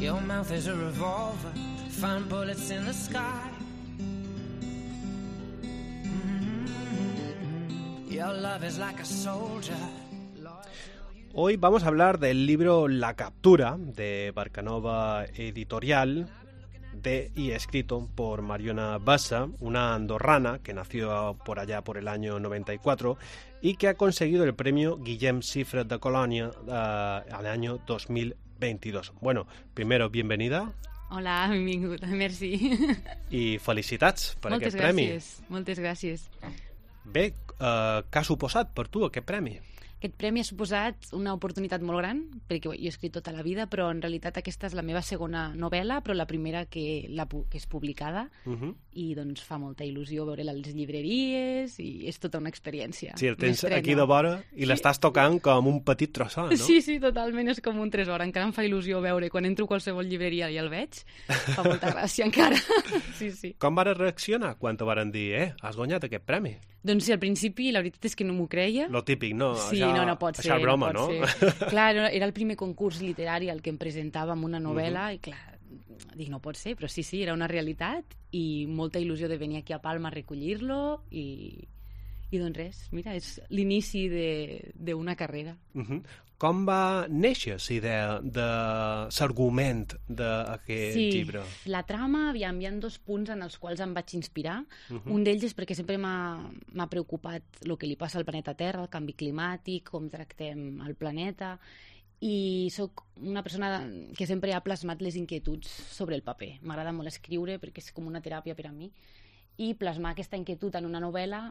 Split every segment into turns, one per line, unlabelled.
Your mouth is a revolver, find bullets in the sky. Your love is like a soldier.
Hoy vamos a hablar del libro La Captura, de Barcanova Editorial, y escrito por Mariona Bassa, una andorrana que nació por allá por el año 94 y que ha conseguido el premio Guillem Sifre de Colònia al año 2022. Bueno, primero, bienvenida.
Hola, benvingut, merci.
I felicitats per aquest premi.
Moltes gràcies.
Bé, què ha suposat per tu aquest premi?
Aquest premi ha suposat una oportunitat molt gran, perquè jo he escrit tota la vida, però en realitat aquesta és la meva segona novel·la, però la primera que és publicada, i doncs fa molta il·lusió veure-la a les llibreries, i és tota una experiència.
Sí, el tens aquí de vora i l'estàs tocant com un petit trossó, no?
Sí, totalment, és com un tresor. Encara em fa il·lusió veure, quan entro a qualsevol llibreria i el veig, fa molta gràcia encara. Sí.
Com vas reaccionar quan te varen dir, has guanyat aquest premi?
Doncs sí, al principi la veritat és que no m'ho creia.
Lo típic, no?
Sí, no pot ser.
Això és broma, no?
Clar, era el primer concurs literari al que em presentava amb una novel·la i clar, dic, no pot ser, però sí, era una realitat i molta il·lusió de venir aquí a Palma a recollir-lo i doncs res, mira, és l'inici d'una carrera. Com va néixer la idea de l'argument d'aquest llibre? Sí, la trama, hi ha dos punts en els quals em vaig inspirar. Un d'ells és perquè sempre m'ha preocupat el que li passa al planeta Terra, el canvi climàtic, com tractem el planeta, i sóc una persona que sempre ha plasmat les inquietuds sobre el paper. M'agrada molt escriure perquè és com una teràpia per a mi, i plasmar aquesta inquietud en una novel·la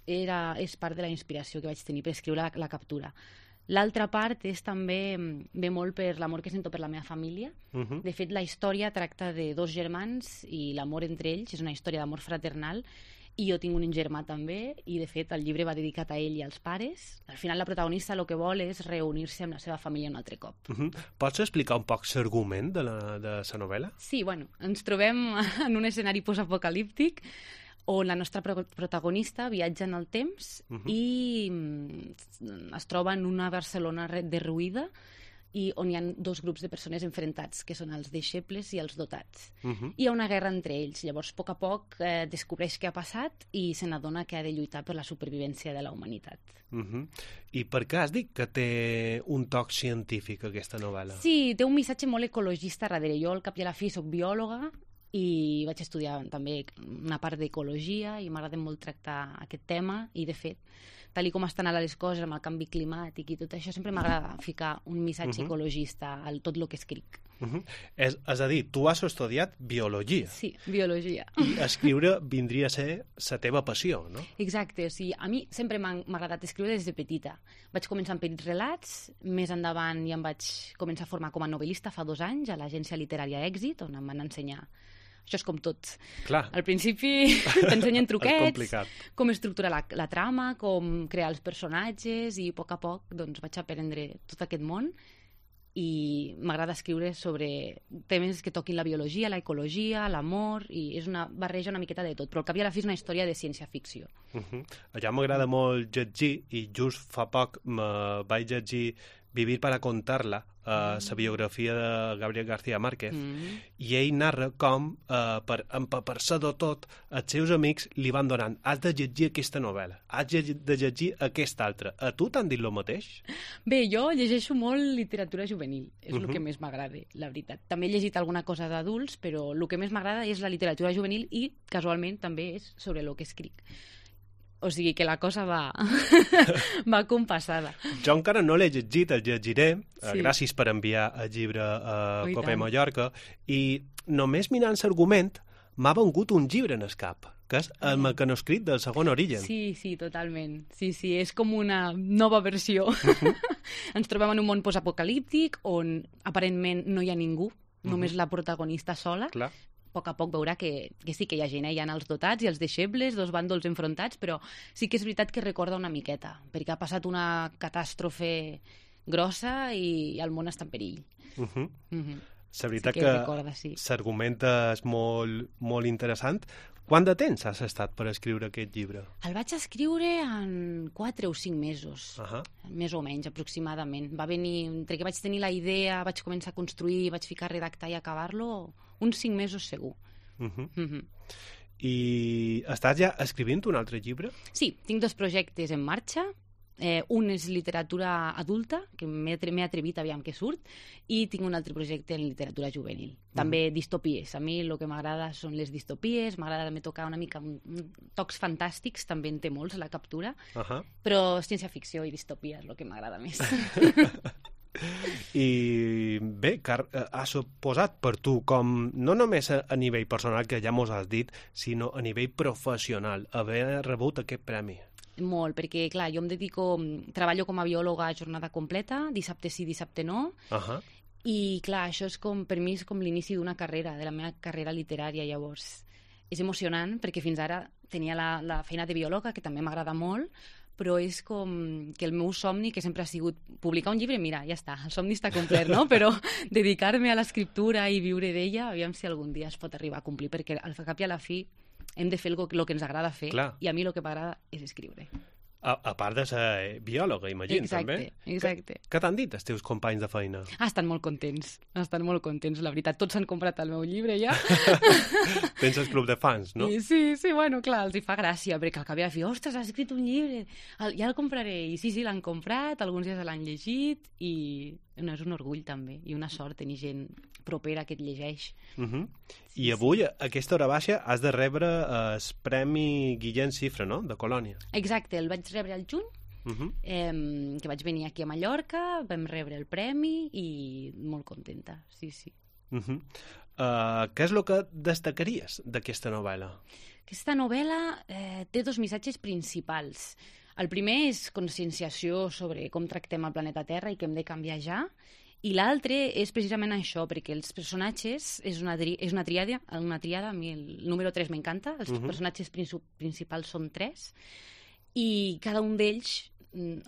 és part de la inspiració que vaig tenir per escriure La Captura. L'altra part és també, ve molt per l'amor que sento per la meva família. De fet, la història tracta de dos germans i l'amor entre ells, és una història d'amor fraternal, i jo tinc un germà també, i de fet el llibre va dedicat a ell i als pares. Al final la protagonista el que vol és reunir-se amb la seva família un altre cop.
Pots explicar un poc l'argument de la novel·la?
Sí, ens trobem en un escenari postapocalíptic on la nostra protagonista viatja en el temps i es troba en una Barcelona derruïda i on hi ha dos grups de persones enfrontats, que són els deixebles i els dotats. Hi ha una guerra entre ells. Llavors, a poc descobreix què ha passat i se n'adona que ha de lluitar per la supervivència de la humanitat.
I per què has dit que té un toc científic, aquesta novel·la?
Sí, té un missatge molt ecologista darrere. Jo, al cap i a la fi, soc biòloga i vaig estudiar també una part d'ecologia i m'agrada molt tractar aquest tema i, de fet, tal com estan ara les coses amb el canvi climàtic i tot això, sempre m'agrada ficar un missatge ecologista a tot el que escric.
És a dir, tu has estudiat biologia.
Sí, biologia.
I escriure vindria a ser la teva passió, no?
Exacte, o sigui, a mi sempre m'ha agradat escriure des de petita. Vaig començar amb petits relats, més endavant ja em vaig començar a formar com a novel·lista fa 2 anys a l'agència literària Èxit, on em van ensenyar. Això és com tot.
Clar.
Al principi t'ensenyen truquets, com estructurar la trama, com crear els personatges, i a poc doncs, vaig aprendre tot aquest món i m'agrada escriure sobre temes que toquin la biologia, la ecologia, l'amor, i és una barreja una miqueta de tot, però al cap i a la fi és una història de ciència-ficció.
Allà m'agrada molt llegir, i just fa poc me vaig llegir Vivir para contarla, la biografia de Gabriel García Márquez, i ell narra com, per empapar-se de tot, els seus amics li van donant: has de llegir aquesta novel·la, has de llegir aquesta altra. A tu t'han dit el mateix?
Bé, jo llegeixo molt literatura juvenil, és el que més m'agrada, la veritat. També he llegit alguna cosa d'adults, però el que més m'agrada és la literatura juvenil i, casualment, també és sobre el que escric. O sigui que la cosa va compassada.
Jo encara no l'he llegit, el llegiré. Gràcies per enviar el llibre a Copé Mallorca. I només mirant l'argument m'ha vengut un llibre en el cap, que és el mecanoscrit del segon Origen.
Sí, totalment. Sí, és com una nova versió. Ens trobem en un món postapocalíptic on aparentment no hi ha ningú, només la protagonista sola.
Clar.
A poc veurà que sí que hi ha gent, hi ha els dotats i els deixebles, dos bàndols enfrontats, però sí que és veritat que recorda una miqueta, perquè ha passat una catàstrofe grossa i el món està en perill.
La veritat
sí que recorda, sí.
l'argument és molt, molt interessant. Quant de temps has estat per escriure aquest llibre?
El vaig escriure en 4 o 5 mesos, més o menys, aproximadament. Va venir, entre que vaig tenir la idea, vaig començar a construir, vaig ficar a redactar i acabar-lo, uns 5 mesos segur.
I estàs ja escrivint un altre llibre?
Sí, tinc 2 projectes en marxa. Un és literatura adulta, que m'he atrevit aviam que surt, i tinc un altre projecte en literatura juvenil. També distopies. A mi el que m'agrada són les distopies, m'agrada també tocar una mica tocs fantàstics, també en té molts, la captura, però ciència-ficció i distopia és el que m'agrada més.
I bé, ha suposat per tu, com no només a nivell personal, que ja mos has dit, sinó a nivell professional, haver rebut aquest premi?
Molt, perquè, clar, jo treballo com a biòloga a jornada completa, dissabte sí, dissabte no, i, clar, això és per mi és com l'inici d'una carrera, de la meva carrera literària, llavors. És emocionant, perquè fins ara tenia la feina de biòloga, que també m'agrada molt, però és com que el meu somni, que sempre ha sigut publicar un llibre, mira, ja està, el somni està complert, no? Però dedicar-me a l'escriptura i viure d'ella, aviam si algun dia es pot arribar a complir, perquè al cap i a la fi hem de fer el que ens agrada fer. Clar. I a mi el que m'agrada és escriure.
A part de ser biòloga, imagino, també.
Exacte.
Què t'han dit els teus companys de feina?
Estan molt contents, la veritat. Tots han comprat el meu llibre ja.
Tens el club de fans, no?
Sí, bueno, clar, els hi fa gràcia, perquè al cap i a la fi, ostres, has escrit un llibre, ja el compraré. I sí, l'han comprat, alguns ja se l'han llegit, i és un orgull també, i una sort tenir gent propera que et llegeix.
I avui, a aquesta hora baixa, has de rebre el Premi Guillem Cifra, no?, de Colònia.
Exacte, el vaig rebre al juny, que vaig venir aquí a Mallorca, vam rebre el premi i molt contenta, sí.
Què és el que destacaries d'aquesta novel·la?
Aquesta novel·la té 2 missatges principals. El primer és conscienciació sobre com tractem el planeta Terra i que hem de canviar ja, i l'altre és precisament això, perquè els personatges és una tríada, a mi el número 3 m'encanta, els personatges principals són 3, i cada un d'ells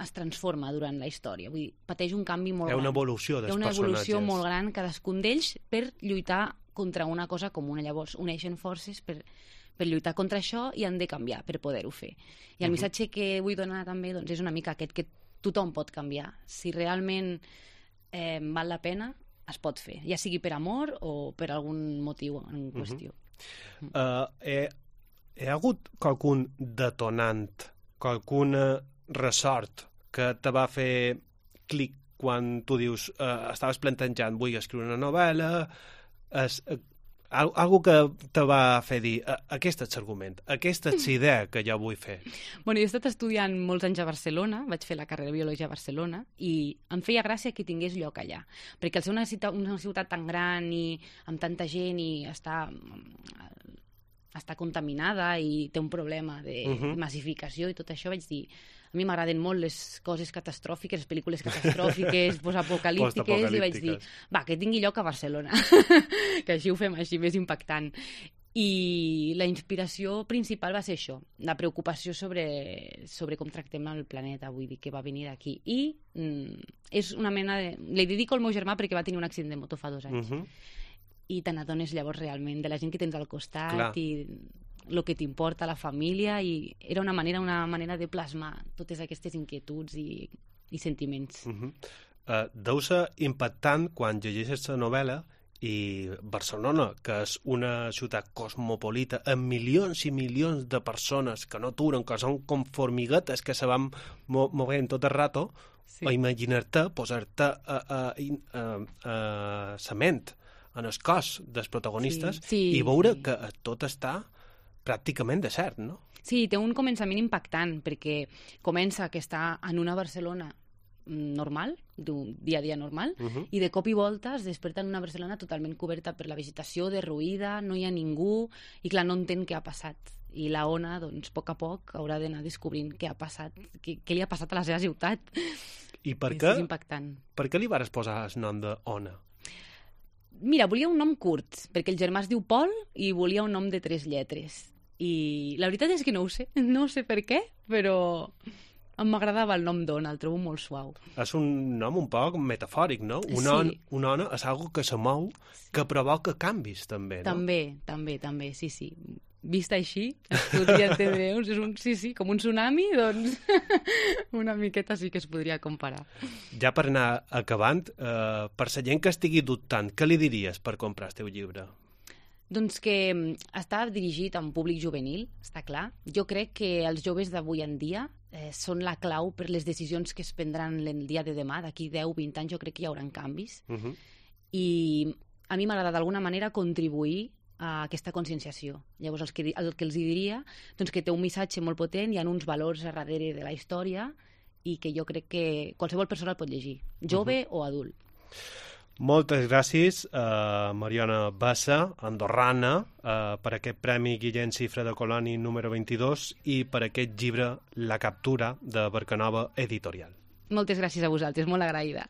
es transforma durant la història, vull dir, pateix un canvi molt gran.
Hi ha una evolució dels personatges.
Hi ha una evolució molt gran cadascun d'ells per lluitar contra una cosa comuna, llavors uneixen forces per lluitar contra això i han de canviar per poder-ho fer. I el missatge que vull donar també és una mica aquest, que tothom pot canviar. Si realment val la pena, es pot fer, ja sigui per amor o per algun motiu en qüestió.
Hi ha hagut qualcun detonant, qualcun ressort que te va fer clic quan tu dius estaves plantejant, vull escriure una novel·la, algo que te va fer dir aquest és l'argument, aquesta és idea que jo vull fer?
Bueno, jo he estat estudiant molts anys a Barcelona, vaig fer la carrera de Biologia a Barcelona, i em feia gràcia que tingués lloc allà, perquè al ser una ciutat tan gran i amb tanta gent i està contaminada i té un problema de massificació i tot això, vaig dir, a mi m'agraden molt les coses catastròfiques, les pel·lícules catastròfiques, postapocalíptiques, i vaig dir, va, que tingui lloc a Barcelona, que així ho fem així, més impactant. I la inspiració principal va ser això, la preocupació sobre com tractem el planeta, vull dir, que va venir d'aquí. I és una mena de... Li dedico al meu germà perquè va tenir un accident de moto fa 2 anys. I te n'adones llavors realment de la gent que tens al costat i el que t'importa, la família, i era una manera de plasmar totes aquestes inquietuds i sentiments.
Deu ser impactant quan llegeixes la novel·la i Barcelona, que és una ciutat cosmopolita amb milions i milions de persones que no aturen, que són com formiguetes que se van movent tot el rato, o imaginar-te posar-te cement en el cos dels protagonistes i veure que tot està pràcticament desert, no?
Sí, té un començament impactant, perquè comença que està en una Barcelona normal, d'un dia a dia normal, i de cop i volta es desperta en una Barcelona totalment coberta per la vegetació, derruïda, no hi ha ningú, i clar, no entén què ha passat. I la Ona, doncs, a poc haurà d'anar descobrint què ha passat, què li ha passat a la seva ciutat.
I per què?
És impactant.
Per què li vas posar el nom d'Ona?
Mira, volia un nom curt, perquè el germà es diu Pol i volia un nom de 3 lletres. I la veritat és que no ho sé per què, però m'agradava el nom d'ona, el trobo molt suau.
És un nom un poc metafòric, no?
Sí.
Una ona és algo que se mou, que provoca canvis, també, no?
També, sí. Vist així, es podria entendre, com un tsunami, doncs una miqueta sí que es podria comparar.
Ja per anar acabant, per la gent que estigui dubtant, què li diries per comprar el teu llibre?
Doncs que està dirigit a un públic juvenil, està clar. Jo crec que els joves d'avui en dia són la clau per les decisions que es prendran el dia de demà. D'aquí 10-20 anys jo crec que hi haurà canvis. I a mi m'agrada d'alguna manera contribuir a aquesta conscienciació. Llavors, el que els diria, doncs que té un missatge molt potent, hi ha uns valors a darrere de la història i que jo crec que qualsevol persona el pot llegir, jove o adult.
Moltes gràcies a Mariona Bassa, andorrana, per aquest Premi Guillem Cifra de Coloni número 22 i per aquest llibre La captura de Barcanova Editorial.
Moltes gràcies a vosaltres, molt agraïda.